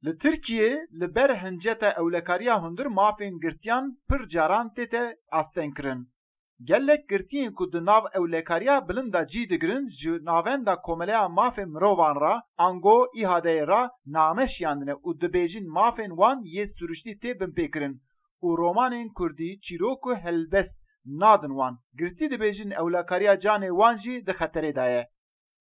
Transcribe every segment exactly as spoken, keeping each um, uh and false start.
Li Tirkiyê li ber hinceta ewlekariya hundir mafên girtiyan pir caran tête astengkirin. Gelek girtiyên ku di nav ewlekariya bilind de cî digirin, ji Navenda Komeleya Mafê Mirovan re, ango İHA'deyê re name şiyandine û dibêjin mafên wan yê siruştî tê binpêkirin û romanên kurdî, çîrok û helbest nadin wan. Girtî dibêjin ewlekariya canê wan jî di xeterê de ye.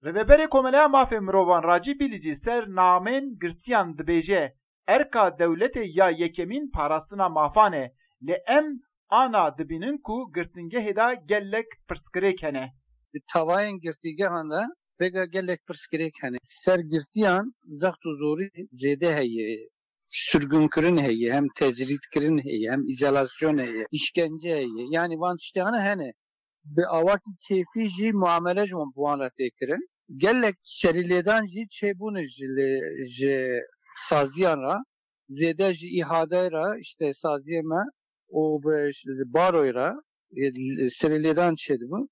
Rêveberê Komeleya Mafê Mirovan Racî Bîlîcî ser namên girtiyan dibêje, erka dewletê ya yekemîn parastina mafan e, lê em ana dibînin ku girtingehê de gelek pirsgirêk hene. Di tavayên girtîgehan de vêga gelek pirsgirêk hene. Ser girtiyan zext û zorî zêde heye. Sirgunkirin heye, hem tecrîdkirin heye, hem îzolasyon heye, îşkence heye. Yanî van tiştê hene hene. Bi awakî kêfî jî muamele ji wan bi wan re tê kirin. Gelek serîlêdan jî çêbûne ji lê ji saziyan re, zêde ji îhadeyê re, işte saziyê me û bi baroyê re serîlêdan çêdibû.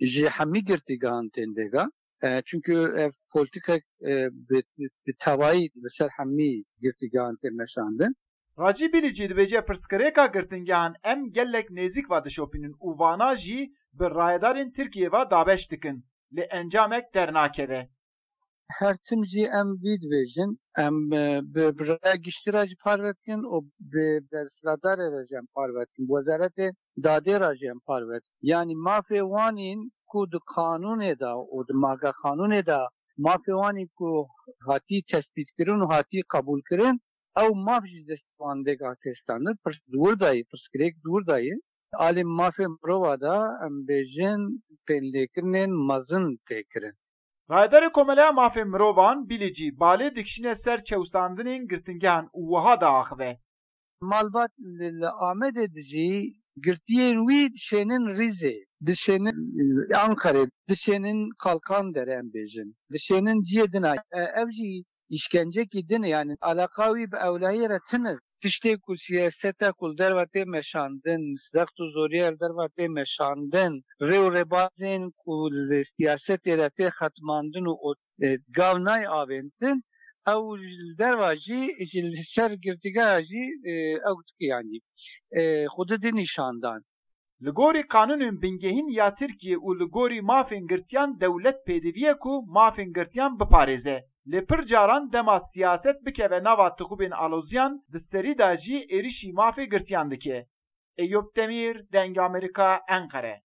Ji hemî girtîgehan tên vêga. E, çunkî ev polîtîkek e, bi, bi tevayî li ser hemî girtîgehan tê meşandin. Racî Bîlîcî dibêje pirsgirêka girtingehan em gelek nêzîk ve dişopînin û vana jî bi rayedarên Tirkiyê ve dabeş dikin, lê encamek dernakeve. Her tim jî em vî dibêjin, em e, bi, bi raya giştî re jî parve dikin û bi desthilatdarê re jî em parve dikin. Bi wezaretê dadê re jî em parve dikin. Yanî mafê wan in ku di qanûnê de û di maga qanûnê de mafê wan in ku hatî tespîtkirin û hatî qebûlkirin, ew maf jî dest wan vêga tê standin. Pirs di wir de ye, pirsgirêk di wir de ye. Alî mafê mirova de em bêjin pênlêkirinên mezin tê kirin. Rayedarê Komeleya Mafê Mirovan, Bîlîcî, balê dikişîne ser çewsandinên girtingehan û wiha diaxive. Malbat li, li Amedê dijî, girtiyên wî dişênin Rîzê, dişênin Anqerê, dişênin Kalkandere em bêjin. Dişênin ciyê din a. E, ev jî îşkencekî din e, yanî eleqa wî bi ewlehiyê re tune. Tiştê ku siyaseta ku li derve tê meşandin, zext û zoriyê li derve tê meşandin, rê û rêbazên ku li siyasetê de tê xetmandin û e, gav nayê avêtin, ew li derva jî, ji li ser girtîgeha jî e, ew dike yanî e, xwedî di nîşan dan. Li gorî qanûnên bingehîn ya Tirkiyê û li gorî mafên girtiyan dewlet pêdivî ye ku mafên girtiyan biparêze. Lê pir caran dema siyaset bikeve nava tixûbên aloziyan, di serî de jî êrişî mafê girtiyan dike. Eyûp Demîr, Dengê Amerîka, Enqere.